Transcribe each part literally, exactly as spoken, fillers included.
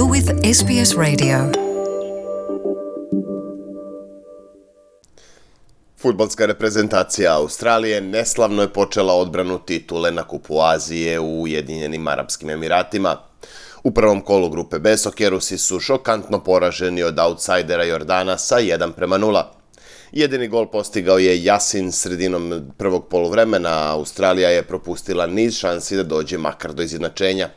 You're with S B S Radio. Fudbalska reprezentacija Australije neslavno je počela odbranu titule na Kupu Azije u Ujedinjenim Arapskim Emiratima. U prvom kolu grupe B Sokerusi su šokantno poraženi od autsajdera Jordana sa jedan prema nula. Jedini gol postigao je Yasin sredinom prvog poluvremena, a Australija je propustila niz šansi da dođe makar do izjednačenja.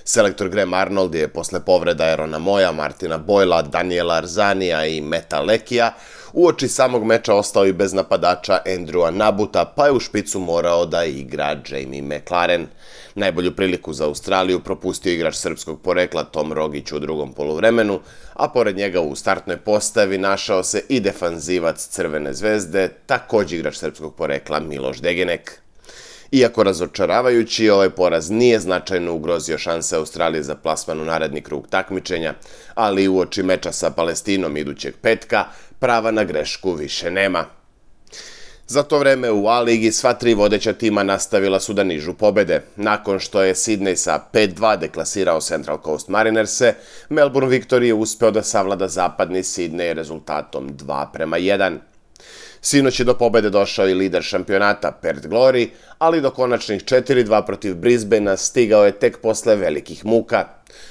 Selektor Graham Arnold je posle povreda Aarona Moya, Martina Boyla, Daniela Arzanija i Meta Lekija uoči samog meča ostao i bez napadača Andrewa Nabuta, pa je u špicu morao da igra Jamie McLaren. Najbolju priliku za Australiju propustio igrač srpskog porekla Tom Rogić u drugom poluvremenu, a pored njega u startnoj postavi našao se i defanzivac Crvene zvezde, također igrač srpskog porekla Miloš Degenek. Iako razočaravajući, ovaj poraz nije značajno ugrozio šanse Australije za plasman u naredni krug takmičenja, ali uoči meča sa Palestinom idućeg petka, prava na grešku više nema. Za to vreme u A ligi sva tri vodeća tima nastavila su da nižu pobede. Nakon što je Sydney sa pet dva deklasirao Central Coast Marinerse, Melbourne Victory je uspeo da savlada zapadni Sydney rezultatom dva prema jedan. Sinoć je do pobede došao i lider šampionata Perth Glory, ali do konačnih četiri dva protiv Brisbanea stigao je tek posle velikih muka.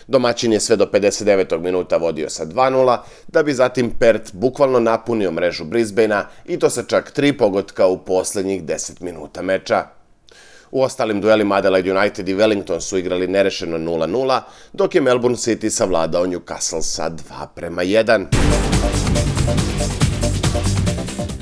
Domaćin je sve do pedeset devetog minuta vodio sa dva nula, da bi zatim Perth bukvalno napunio mrežu Brisbanea i to sa čak tri pogotka u poslednjih deset minuta meča. U ostalim duelima Adelaide United i Wellington su igrali nerešeno nula nula, dok je Melbourne City savladao Newcastle sa dva prema jedan.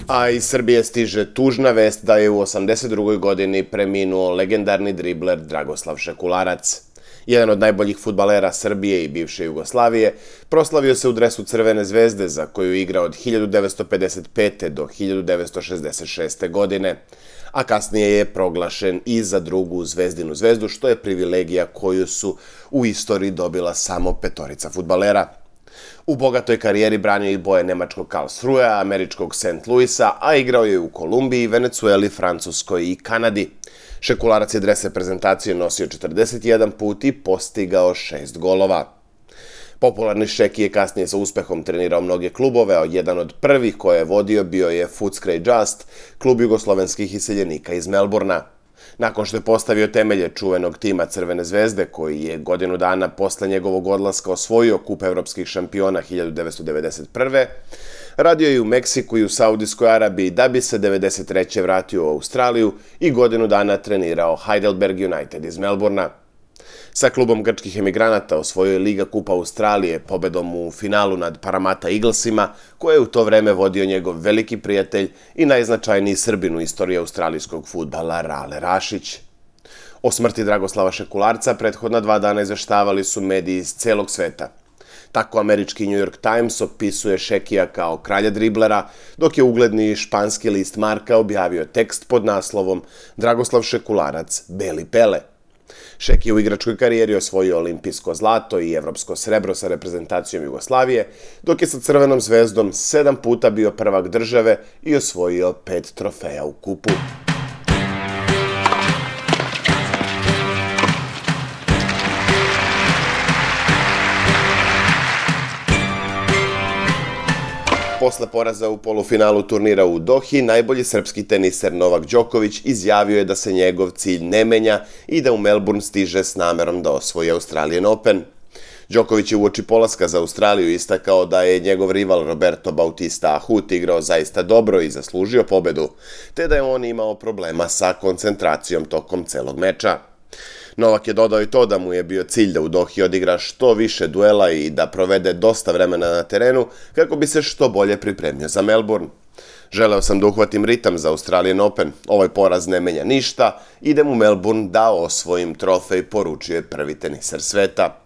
A iz Srbije stiže tužna vest da je u osamdeset drugoj godini preminuo legendarni dribler Dragoslav Šekularac. Jedan od najboljih fudbalera Srbije i bivše Jugoslavije, proslavio se u dresu Crvene zvezde za koju igra od hiljadu devetsto pedeset pete. do hiljadu devetsto šezdeset šeste. godine, a kasnije je proglašen i za drugu Zvezdinu zvezdu, što je privilegija koju su u istoriji dobila samo petorica fudbalera. U bogatoj karijeri branio i boje nemačkog Karlsruhea, američkog Saint Louisa, a igrao je u Kolumbiji, Venecueli, Francuskoj i Kanadi. Šekularac je dres reprezentacije nosio četrdeset jedan put i postigao šest golova. Popularni Šeki je kasnije sa uspehom trenirao mnoge klubove, a jedan od prvih koje je vodio bio je Footscray Just, klub jugoslovenskih iseljenika iz Melbourna. Nakon što je postavio temelje čuvenog tima Crvene zvezde, koji je godinu dana posle njegovog odlaska osvojio kup evropskih šampiona hiljadu devetsto devedeset prve. radio je u Meksiku i u Saudijskoj Arabiji da bi se devedeset treće vratio u Australiju i godinu dana trenirao Heidelberg United iz Melbourna. Sa klubom grčkih emigranata osvojio je Liga kupa Australije pobedom u finalu nad Parramatta Eaglesima, koje je u to vreme vodio njegov veliki prijatelj i najznačajniji Srbin u istoriji australijskog fudbala Rale Rašić. O smrti Dragoslava Šekularca prethodna dva dana izveštavali su mediji iz celog sveta. Tako američki New York Times opisuje Šekija kao kralja driblera, dok je ugledni španski list Marca objavio tekst pod naslovom Dragoslav Šekularac, Beli Pele. Šeki je u igračkoj karijeri osvojio olimpijsko zlato i evropsko srebro sa reprezentacijom Jugoslavije, dok je sa Crvenom zvezdom sedam puta bio prvak države i osvojio pet trofeja u kupu. Posle poraza u polufinalu turnira u Dohi, najbolji srpski teniser Novak Đoković izjavio je da se njegov cilj ne menja i da u Melbourne stiže s namerom da osvoji Australian Open. Đoković je uoči polaska za Australiju istakao da je njegov rival Roberto Bautista Agut igrao zaista dobro i zaslužio pobedu, te da je on imao problema sa koncentracijom tokom celog meča. Novak je dodao i to da mu je bio cilj da u Dohi odigra što više duela i da provede dosta vremena na terenu kako bi se što bolje pripremio za Melbourne. Želeo sam da uhvatim ritam za Australian Open, ovaj poraz ne menja ništa, idem u Melbourne da osvojim trofej, poručio je prvi teniser sveta.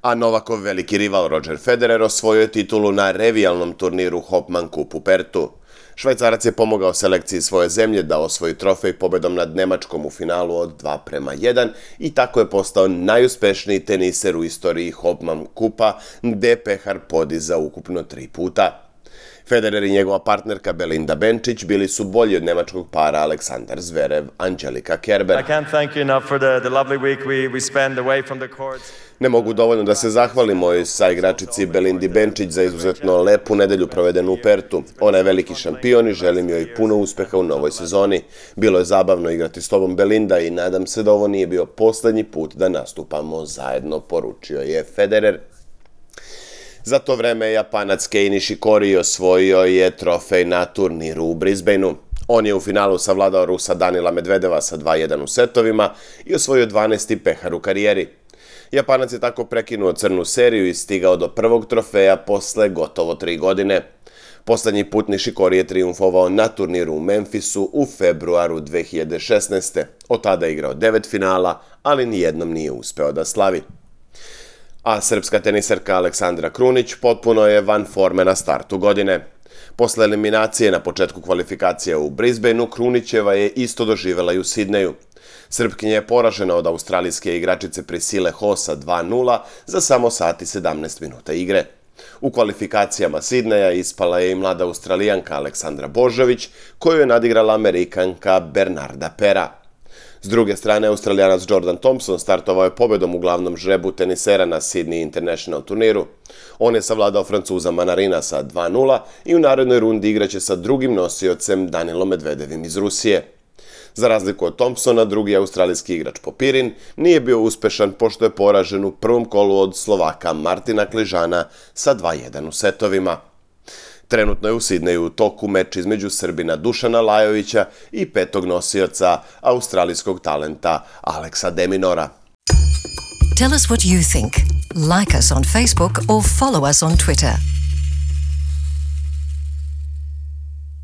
A Novakov veliki rival Roger Federer osvojio je titulu na revijalnom turniru Hopman Cup u Pertu. Švajcarac je pomogao selekciji svoje zemlje da osvoji trofej pobedom nad Nemačkom u finalu od dva prema jedan i tako je postao najuspešniji teniser u istoriji Hopman Cupa, gde je pehar podizao ukupno tri puta. Federer i njegova partnerka Belinda Bencic bili su bolji od nemačkog para Aleksandar Zverev, Angelika Kerber. I can't thank you enough for the, the lovely week we, we spent away from the courts. Ne mogu dovoljno da se zahvalim mojoj saigračici Belindi Benčić za izuzetno lepu nedelju provedenu u Pertu. Ona je veliki šampion i želim joj puno uspeha u novoj sezoni. Bilo je zabavno igrati s tobom, Belinda, i nadam se da ovo nije bio poslednji put da nastupamo zajedno, poručio je Federer. Za to vreme Japanac Kei Nishikori osvojio je trofej na turniru u Brisbaneu. On je u finalu savladao Rusa Danila Medvedeva sa dva jedan u setovima i osvojio dvanaesti pehar u karijeri. Japanac je tako prekinuo crnu seriju i stigao do prvog trofeja posle gotovo tri godine. Poslednji put Nishikori je trijumfovao na turniru u Memphisu u februaru dve hiljade šesnaeste. Od tada je igrao devet finala, ali nijednom nije uspeo da slavi. A srpska teniserka Aleksandra Krunić potpuno je van forme na startu godine. Posle eliminacije na početku kvalifikacija u Brisbaneu, Krunićeva je isto doživela i u Sidneju. Srpkinja je poražena od australijske igračice Priscille Ho sa dva nula za samo sat i sedamnaest minuta igre. U kvalifikacijama Sidneja ispala je i mlada Australijanka Aleksandra Božović, koju je nadigrala Amerikanka Bernarda Pera. S druge strane, Australijanac Jordan Thompson startovao je pobedom u glavnom žrebu tenisera na Sydney International turniru. On je savladao Francuza Manarina sa dva nula i u narednoj rundi igraće sa drugim nosiocem Danilom Medvedevim iz Rusije. Za razliku od Thompsona, drugi australijski igrač Popirin nije bio uspešan pošto je poražen u prvom kolu od Slovaka Martina Kližana sa dva jedan u setovima. Trenutno je u Sidneju u toku meč između Srbina Dušana Lajovića i petog nosioca australijskog talenta Aleksa Deminora. Tell us what you think. Like us on Facebook or follow us on Twitter.